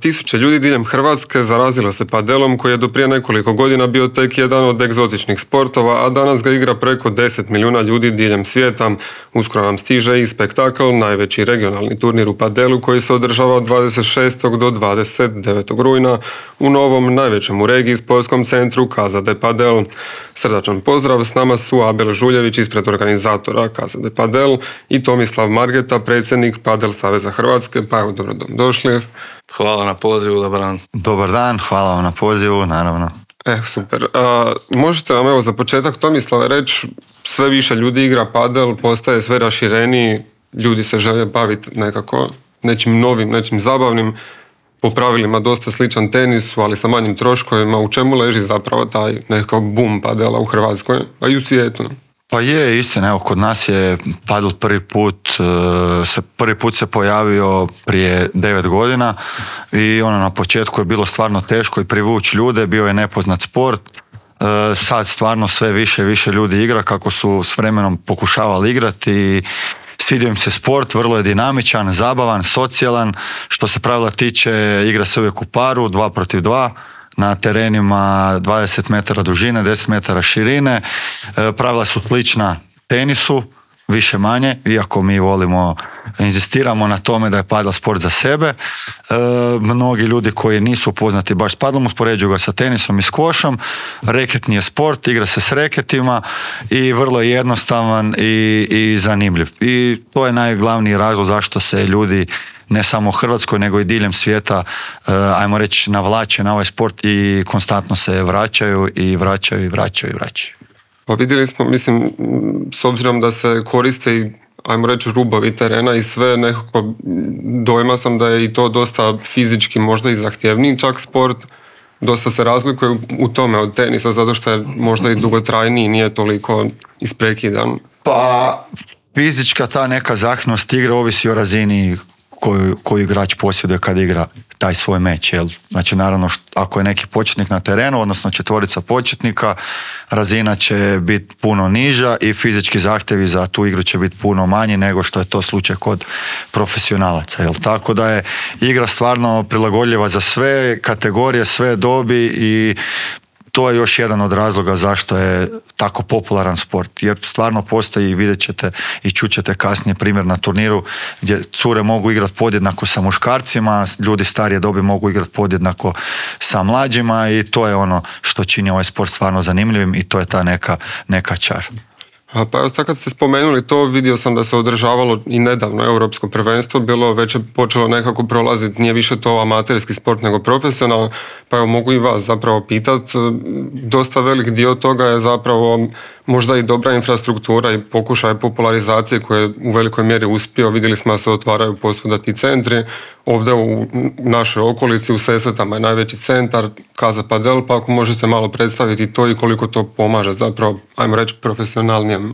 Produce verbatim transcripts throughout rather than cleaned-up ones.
Tisuće ljudi diljem Hrvatske zarazilo se padelom koji je do prije nekoliko godina bio tek jedan od egzotičnih sportova, a danas ga igra preko deset milijuna ljudi diljem svijeta. Uskoro nam stiže i spektakl, najveći regionalni turnir u padelu koji se održava od dvadeset šestog do dvadeset devetog rujna u novom, najvećem u regiji sportskom centru Casa de Padel. Srdačan pozdrav, s nama su Abel Žuljević ispred organizatora Casa de Padel i Tomislav Margeta, predsjednik Padel Saveza Hrvatske. Pa evo, dobro došli. Hvala na pozivu, dobar dan. Dobar dan, hvala vam na pozivu, naravno. E, super. A, možete nam evo za početak, Tomislave, reći, sve više ljudi igra padel, postaje sve rašireniji, ljudi se žele baviti nekako nečim novim, nečim zabavnim, po pravilima dosta sličan tenisu, ali sa manjim troškovima. U čemu leži zapravo taj nekakav boom padela u Hrvatskoj, a i u svijetu? Pa je, istina, evo, kod nas je padel prvi put, se, prvi put se pojavio prije devet godina i ono na početku je bilo stvarno teško i privući ljude, bio je nepoznat sport. Sad stvarno sve više i više ljudi igra kako su s vremenom pokušavali igrati i svidio im se sport, vrlo je dinamičan, zabavan, socijalan. Što se pravila tiče, igra se uvijek u paru, dva protiv dva. Na terenima dvadeset metara dužine, deset metara širine. E, pravila su slična tenisu, više manje, iako mi volimo, inzistiramo na tome da je padel sport za sebe. E, mnogi ljudi koji nisu upoznati baš s padlom uspoređuju ga sa tenisom i skvošom. Reketni je sport, igra se s reketima i vrlo je jednostavan i, i zanimljiv. I to je najglavniji razlog zašto se ljudi ne samo u Hrvatskoj, nego i diljem svijeta, ajmo reći, navlače na ovaj sport i konstantno se vraćaju i vraćaju i vraćaju i vraćaju. Pa vidjeli smo, mislim, s obzirom da se koriste i, ajmo reći, rubovi terena i sve, nekako dojma sam da je i to dosta fizički možda i zahtjevniji čak sport. Dosta se razlikuje u tome od tenisa, zato što je možda i dugotrajniji, nije toliko isprekidan. Pa fizička ta neka zahtjevnost igre ovisi o razini koju, koju igrač posjeduje kad igra taj svoj meč. Jel? Znači, naravno, št, ako je neki početnik na terenu, odnosno četvorica početnika, razina će biti puno niža i fizički zahtjevi za tu igru će biti puno manji nego što je to slučaj kod profesionalaca. Jel? Tako da je igra stvarno prilagodljiva za sve kategorije, sve dobi i to je još jedan od razloga zašto je tako popularan sport, jer stvarno postoji, vidjet ćete i čućete kasnije primjer na turniru gdje cure mogu igrati podjednako sa muškarcima, ljudi starije dobi mogu igrati podjednako sa mlađima i to je ono što čini ovaj sport stvarno zanimljivim i to je ta neka, neka čar. A pa evo sad kad ste spomenuli to, vidio sam da se održavalo i nedavno europsko prvenstvo, bilo već je počelo nekako prolaziti, nije više to amaterski sport nego profesionalno, pa evo mogu i vas zapravo pitati, dosta velik dio toga je zapravo možda i dobra infrastruktura i pokušaj popularizacije koje je u velikoj mjeri uspio. Vidjeli smo da se otvaraju posvuda ti centri, ovdje u našoj okolici u Sesvetama je najveći centar Casa Padel, pa ako možete malo predstaviti to i koliko to pomaže zapravo, ajmo reći, profesionalnijem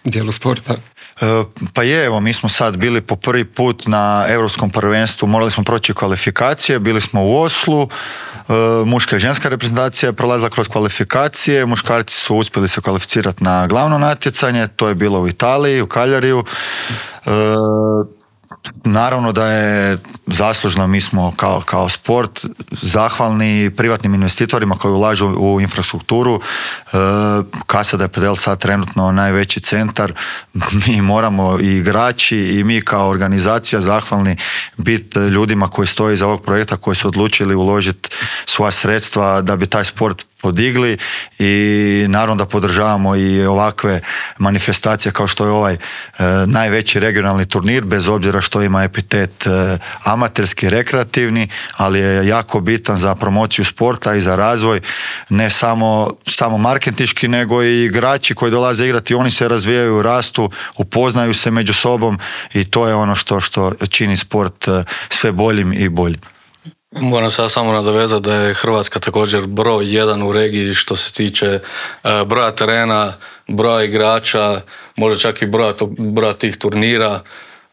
dijelu sporta. E, pa je, evo, mi smo sad bili po prvi put na europskom prvenstvu, morali smo proći kvalifikacije, bili smo u Oslu, e, muška i ženska reprezentacija je prolazila kroz kvalifikacije, muškarci su uspjeli se kvalificirati na glavno natjecanje, to je bilo u Italiji, u Kaljariju. E, Naravno da je zaslužno, mi smo kao, kao sport zahvalni privatnim investitorima koji ulažu u infrastrukturu. E, Casa de Padel sad trenutno najveći centar, mi moramo i igrači i mi kao organizacija zahvalni biti ljudima koji stoje iza ovog projekta, koji su odlučili uložiti svoja sredstva da bi taj sport podigli i naravno da podržavamo i ovakve manifestacije kao što je ovaj e, najveći regionalni turnir, bez obzira što ima epitet e, amaterski, rekreativni, ali je jako bitan za promociju sporta i za razvoj, ne samo, samo marketinški, nego i igrači koji dolaze igrati, oni se razvijaju, rastu, upoznaju se među sobom i to je ono što, što čini sport e, sve boljim i boljim. Moram se samo nadovezati da je Hrvatska također broj jedan u regiji što se tiče uh, broja terena, broja igrača, možda čak i broja, to, broja tih turnira,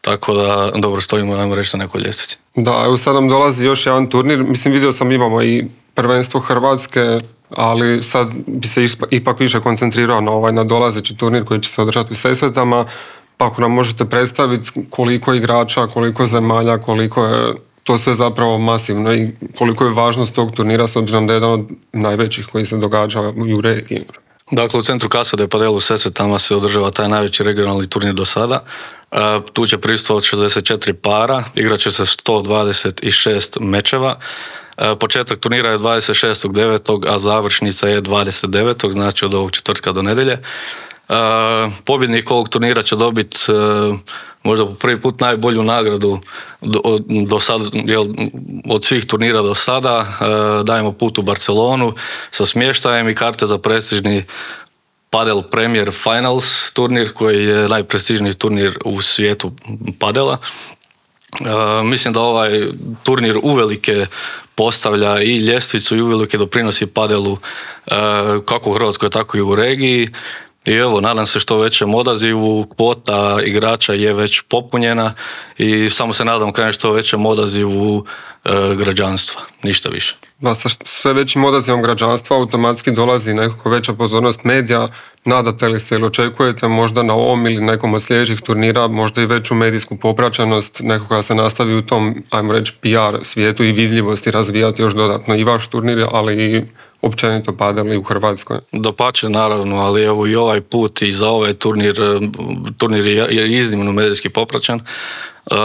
tako da dobro stojimo, ajmo reći, na nekoj ljestvici. Da, evo sad nam dolazi još jedan turnir, mislim vidio sam imamo i prvenstvo Hrvatske, ali sad bi se ipak više koncentrirao na ovaj nadolazeći turnir koji će se održati u Sesvetama, pa ako nam možete predstaviti koliko igrača, koliko zemalja, koliko je to sve zapravo masivno i koliko je važnost tog turnira s obzirom da je jedan od najvećih koji se događa i u regiji. Dakle, u centru Casa de Padel u Sesvetama se održava taj najveći regionalni turnir do sada. E, tu će prisustvovati šezdeset četiri para, igrat će se sto dvadeset šest mečeva. E, početak turnira je dvadeset šestog devetog a završnica je dvadeset devetog znači od ovog četvrtka do nedjelje. E, pobjednik ovog turnira će dobiti e, možda po prvi put najbolju nagradu do, do sad, jel, od svih turnira do sada. E, dajemo put u Barcelonu sa smještajem i karte za prestižni Padel Premier Finals turnir koji je najprestižniji turnir u svijetu padela. E, mislim da ovaj turnir uvelike postavlja i ljestvicu i uvelike doprinosi padelu e, kako u Hrvatskoj tako i u regiji. I evo, nadam se što većem odazivu, kvota igrača je već popunjena i samo se nadam kao što većem odazivu e, građanstva, ništa više. Da, sa sve većim odazivom građanstva automatski dolazi nekako veća pozornost medija. Nadate li se ili očekujete možda na ovom ili nekom od sljedećih turnira možda i veću medijsku popraćenost, nekoga se nastavi u tom, ajmo reći, P R svijetu i vidljivosti razvijati još dodatno i vaš turnir, ali i općenito padali u Hrvatskoj? Dapače, naravno, ali evo i ovaj put i za ovaj turnir, turnir je iznimno medijski popraćen. Uh,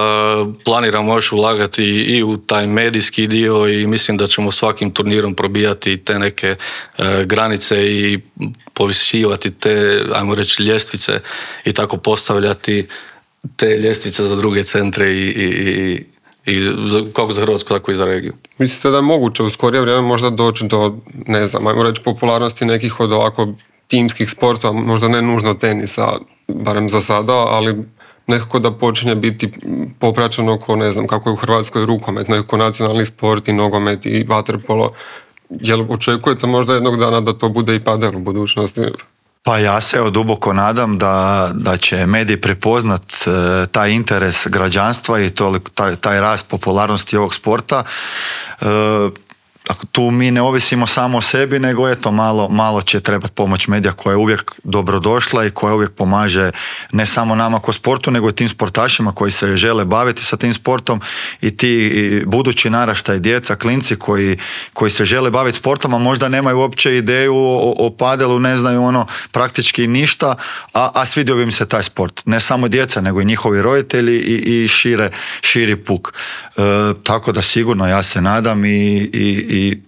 planiramo još ulagati i u taj medijski dio i mislim da ćemo svakim turnirom probijati te neke uh, granice i povisivati te, ajmo reći, ljestvice i tako postavljati te ljestvice za druge centre i, i, i, i za, kako za Hrvatsku, tako i za regiju. Mislite da je moguće u skorije vrijeme možda doći do, ne znam, ajmo reći, popularnosti nekih od ovako timskih sportova, možda ne nužno tenisa, barem za sada, ali nekako da počinje biti popraćeno oko, ne znam, kako je u Hrvatskoj rukomet, nekako nacionalni sport i nogomet i vaterpolo. Jel očekujete možda jednog dana da to bude i padel u budućnosti? Pa ja se evo duboko nadam da, da će mediji prepoznat e, taj interes građanstva i to, taj, taj rast popularnosti ovog sporta. E, tu mi ne ovisimo samo o sebi, nego eto malo, malo će trebati pomoć medija koja je uvijek dobrodošla i koja uvijek pomaže ne samo nama ko sportu, nego i tim sportašima koji se žele baviti sa tim sportom i ti i budući naraštaj, djeca, klinci koji, koji se žele baviti sportom, a možda nemaju uopće ideju o, o padelu, ne znaju ono praktički ništa, a, a svidio bi im se taj sport. Ne samo djeca, nego i njihovi roditelji i, i šire, širi puk. E, tako da sigurno ja se nadam i, i i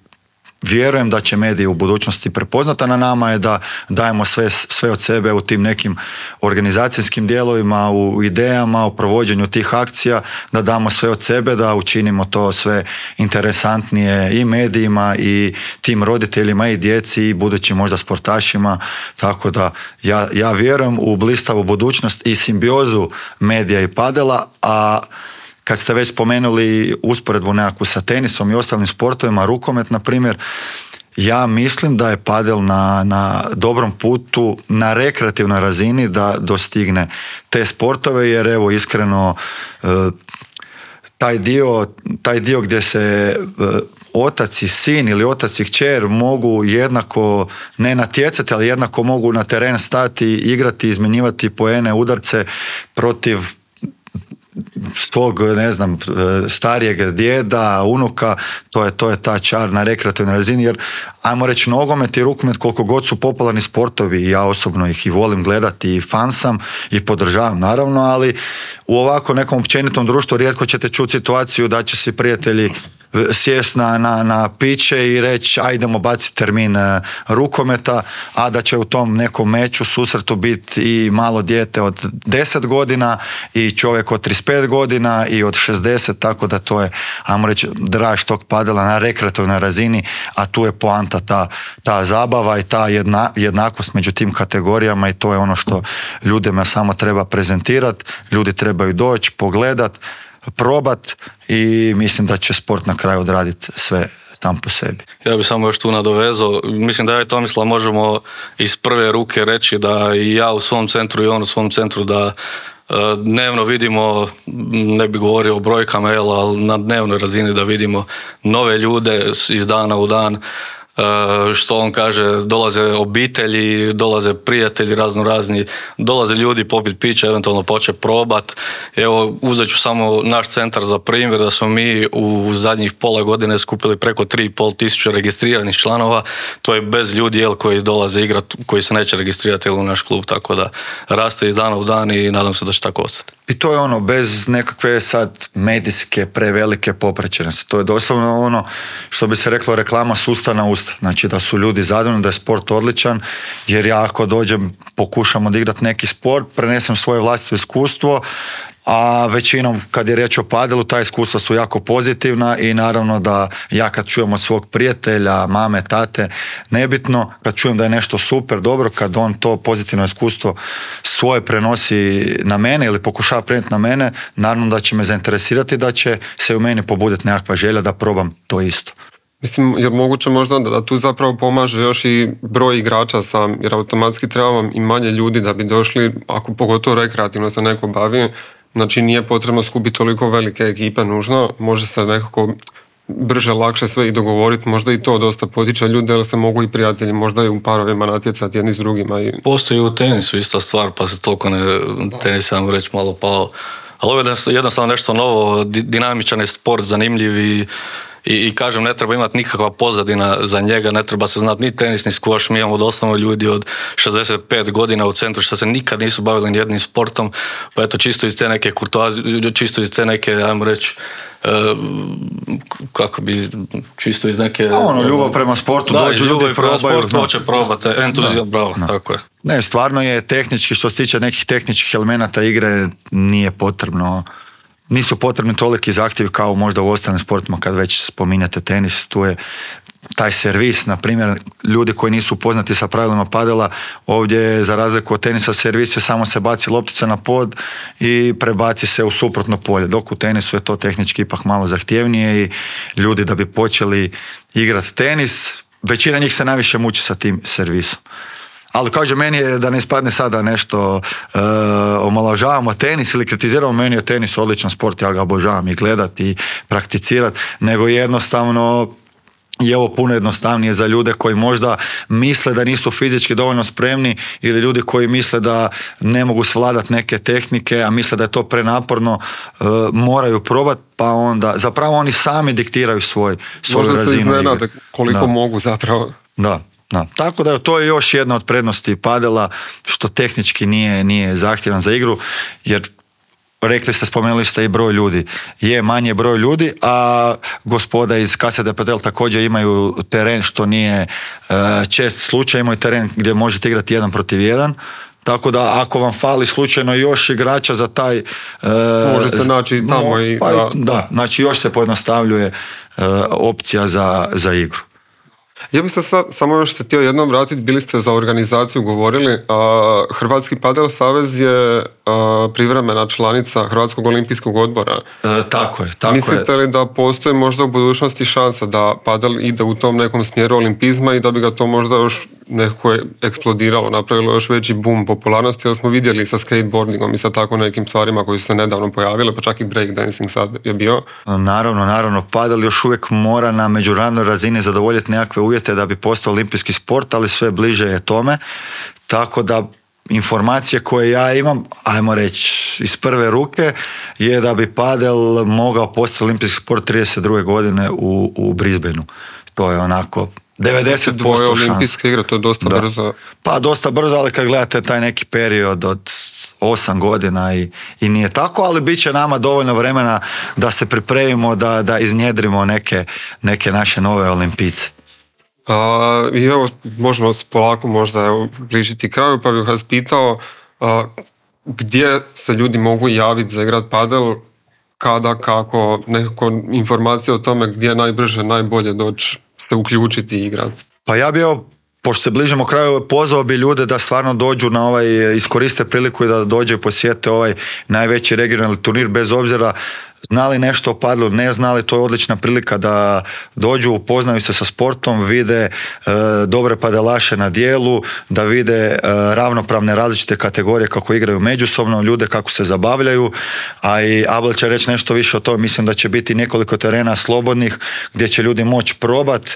vjerujem da će mediji u budućnosti prepoznati, a na nama je da dajemo sve, sve od sebe u tim nekim organizacijskim dijelovima, u idejama, u provođenju tih akcija, da damo sve od sebe, da učinimo to sve interesantnije i medijima i tim roditeljima i djeci i budućim možda sportašima, tako da ja, ja vjerujem u blistavu budućnost i simbiozu medija i padela, a kad ste već spomenuli usporedbu nekakvu sa tenisom i ostalim sportovima, rukomet na primjer, ja mislim da je padel na, na dobrom putu, na rekreativnoj razini da dostigne te sportove, jer evo iskreno taj dio, taj dio gdje se otac i sin ili otac i kćer mogu jednako ne natjecati, ali jednako mogu na teren stati, igrati, izmjenjivati poene, udarce protiv svog, ne znam, starijeg djeda, unuka, to je, to je ta čar na rekreativnoj razini, jer ajmo reći nogomet i rukomet koliko god su popularni sportovi i ja osobno ih i volim gledati i fan sam i podržavam naravno, ali u ovako nekom općenitom društvu rijetko ćete čuti situaciju da će se prijatelji sjest na, na, na piće i reći ajdemo baciti termin rukometa, a da će u tom nekom meču, susretu biti i malo dijete od deset godina i čovjek od trideset pet godina i od šezdeset, tako da to je, ajmo reći, draž tog padela na rekreativnoj razini, a tu je poanta ta, ta zabava i ta jedna, jednakost među tim kategorijama i to je ono što ljudima samo treba prezentirati, ljudi trebaju doći, pogledat, probat i mislim da će sport na kraju odraditi sve tam po sebi. Ja bih samo još tu nadovezao, mislim da ja i Tomislav možemo iz prve ruke reći da i ja u svom centru i on u svom centru da uh, dnevno vidimo, ne bih govorio o brojkama, ali na dnevnoj razini da vidimo nove ljude iz dana u dan. što on kaže, dolaze obitelji, dolaze prijatelji razno razni, dolaze ljudi popit pića, eventualno poče probat. Evo, uzet ću samo naš centar za primjer, da smo mi u zadnjih pola godine skupili preko tri i pol tisuće registriranih članova. To je bez ljudi jel, koji dolaze igrati, koji se neće registrirati jel, u naš klub, tako da raste iz dana u dan i nadam se da će tako ostati. I to je ono, bez nekakve sad medijske prevelike popraćenosti. To je doslovno ono što bi se reklo reklama s usta na usta. Znači da su ljudi zadovoljni, da je sport odličan, jer ja ako dođem, pokušam odigrati neki sport, prenesem svoje vlastito iskustvo, a većinom kad je riječ o padelu, ta iskustva su jako pozitivna i naravno da ja kad čujem od svog prijatelja, mame, tate, nebitno, kad čujem da je nešto super, dobro, kad on to pozitivno iskustvo svoje prenosi na mene ili pokušava prenijeti na mene, naravno da će me zainteresirati, da će se u meni pobuditi nekakva želja da probam to isto. Mislim, je moguće možda da, da tu zapravo pomaže još i broj igrača sam, jer automatski treba vam i manje ljudi da bi došli, ako pogotovo rekreativno se neko bavi, znači nije potrebno skupiti toliko velike ekipe nužno, može se nekako brže, lakše sve i dogovoriti, možda i to dosta potiče ljude, jer se mogu i prijatelji možda i u parovima natjecati jedni s drugima. I... Postoji u tenisu ista stvar, pa se toliko ne, tenis sam reći malo pao. Ali ovo je jednostavno nešto novo, dinamičan je sport, zanimljiv i I, i kažem, ne treba imati nikakva pozadina za njega, ne treba se znati ni tenis, ni skvoš. Mi imamo doslovno ljudi od šezdeset pet godina u centru što se nikad nisu bavili ni jednim sportom, pa eto čisto iz te neke kurtoazije, čisto iz te neke, ajmo reći, uh, kako bi, čisto iz neke... A ono, ljubav prema sportu, da, dođu ljudi, probaju. Sport, hoće probati, entuzijazam, bravo, da. Tako je. Ne, stvarno je tehnički, što se tiče nekih tehničkih elemenata igre, nije potrebno... Nisu potrebni toliki zahtjevi kao možda u ostalim sportima kad već spominjate tenis, tu je taj servis, na primjer, ljudi koji nisu upoznati sa pravilima padela, ovdje za razliku od tenisa servis je samo se baci loptica na pod i prebaci se u suprotno polje, dok u tenisu je to tehnički ipak malo zahtjevnije i ljudi da bi počeli igrati tenis, većina njih se najviše muči sa tim servisom. Ali kaže, meni je da ne ispadne sada nešto uh, omalovažavamo tenis ili kritiziramo, meni je tenis odličan sport, ja ga obožavam i gledati i prakticirati, nego jednostavno je ovo puno jednostavnije za ljude koji možda misle da nisu fizički dovoljno spremni ili ljudi koji misle da ne mogu svladati neke tehnike, a misle da je to prenaporno, uh, moraju probati, pa onda zapravo oni sami diktiraju svoj, svoju možda razinu igre. Možda se iznenade koliko da. mogu zapravo. Da. Da. Tako da to je još jedna od prednosti padela, što tehnički nije, nije zahtjevan za igru, jer rekli ste, spomenuli ste i broj ljudi. Je manje broj ljudi, a gospoda iz K S D Padel također imaju teren, što nije uh, čest slučaj, imaju teren gdje možete igrati jedan protiv jedan. Tako da ako vam fali slučajno još igrača za taj... Uh, može se naći i tamo. Mo, i, pa, da, da, znači još se pojednostavljuje uh, opcija za, za igru. Ja bih se sad, samo još se htio jednom vratiti, bili ste za organizaciju govorili, a, Hrvatski padel savez je a, privremena članica Hrvatskog olimpijskog odbora. E, tako je, tako Mislite je. li da postoji možda u budućnosti šansa da padel ide u tom nekom smjeru olimpizma i da bi ga to možda još nekako eksplodiralo, napravilo još veći boom popularnosti, jer smo vidjeli sa skateboardingom i sa tako nekim stvarima koji su se nedavno pojavile, pa čak i breakdancing sad je bio. Naravno, naravno, padel još uvijek mora na međunarodnoj razini zadovoljiti nekakve uvjete da bi postao olimpijski sport, ali sve bliže je tome, tako da informacije koje ja imam, ajmo reći iz prve ruke, je da bi padel mogao postati olimpijski sport trideset druge godine u, u Brisbaneu. To je onako devedeset posto Dvoje šans. olimpijske igre, to je dosta da. brzo. Pa dosta brzo, ali kad gledate taj neki period od osam godina i, i nije tako, ali bit će nama dovoljno vremena da se pripremimo, da, da iznjedrimo neke, neke naše nove olimpijce. A, I evo, možemo se polako možda evo, bližiti kraju, pa bih vas pitao a, gdje se ljudi mogu javiti za igrat padel, kada, kako, nekako informacije o tome gdje je najbrže, najbolje doći se uključiti i igrati. Pa ja bi evo, pošto se bližimo kraju, pozvao bi ljude da stvarno dođu na ovaj, iskoriste priliku i da dođe i posjete ovaj najveći regionalni turnir, bez obzira znali nešto o padlu, ne znali, to je odlična prilika da dođu, upoznaju se sa sportom, vide e, dobre padelaše na dijelu, da vide e, ravnopravne različite kategorije kako igraju međusobno, ljude kako se zabavljaju, a i Abel će reći nešto više o tome. Mislim da će biti nekoliko terena slobodnih gdje će ljudi moći probat, e,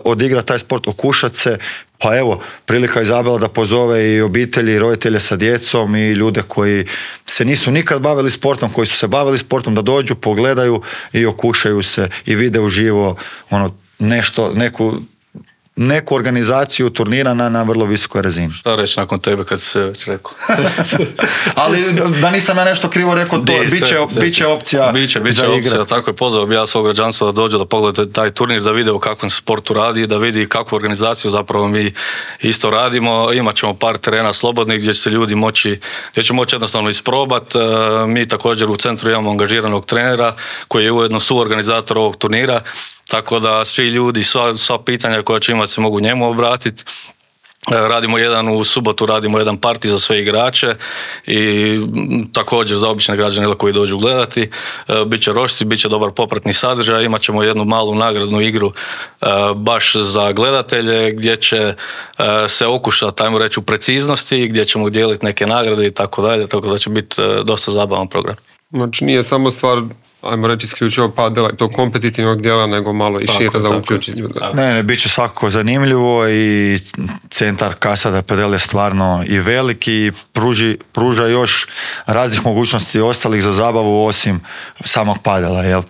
odigrati taj sport, okušati se. Pa evo, prilika Izabela da pozove i obitelji i roditelje sa djecom i ljude koji se nisu nikad bavili sportom, koji su se bavili sportom, da dođu, pogledaju i okušaju se i vide uživo ono, nešto, neku, neku organizaciju turnira na, na vrlo visokoj razini. Šta reći nakon tebe kad si sve već rekao? Ali da nisam ja nešto krivo rekao, to bit će, bit će opcija biće, biće za igre. Opcija, tako je, pozvao bi ja svog građanstva da dođe da pogledate taj turnir, da vide u kakvom sportu radi, da vidi kakvu organizaciju zapravo mi isto radimo. Imat ćemo par terena slobodnih gdje će se ljudi moći, gdje će moći jednostavno isprobat. Mi također u centru imamo angažiranog trenera koji je ujedno suorganizator ovog turnira. Tako da svi ljudi, sva, sva pitanja koja će imati se mogu njemu obratiti. Radimo jedan u subotu, radimo jedan parti za sve igrače i također za obične građane koji dođu gledati. Biće rošci, bit će dobar popratni sadržaj, imat ćemo jednu malu nagradnu igru baš za gledatelje gdje će se okušati, ajmo reći, u preciznosti, gdje ćemo dijeliti neke nagrade i tako dalje, tako da će biti dosta zabavan program. Znači nije samo stvar, ajmo reći, isključivo padela i to kompetitivnog dijela, nego malo i tako, šire za uključiti ljude. Ne, ne, bit će svakako zanimljivo i centar Casa de Padel je stvarno i veliki i pruži, pruža još raznih mogućnosti ostalih za zabavu osim samog padela, jel?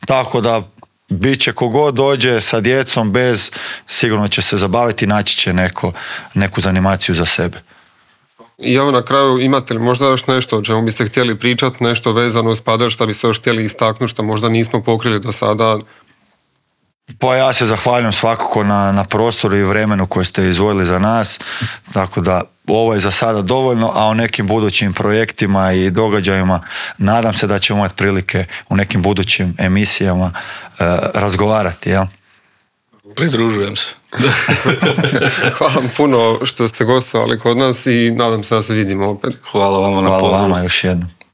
Tako da bit će kogod dođe sa djecom bez, sigurno će se zabaviti i naći će neko, neku zanimaciju za sebe. I evo na kraju, imate li možda još nešto o čemu biste htjeli pričati, nešto vezano uz padel, što biste još htjeli istaknuti, što možda nismo pokrili do sada? Pa ja se zahvaljujem svakako na, na prostoru i vremenu koje ste izdvojili za nas, tako da ovo je za sada dovoljno, a o nekim budućim projektima i događajima nadam se da ćemo imati prilike u nekim budućim emisijama e, razgovarati, jel? Pridružujem se. Hvala vam puno što ste gostovali kod nas i nadam se da se vidimo opet. Hvala vama na Hvala pozivu. vama još jednom.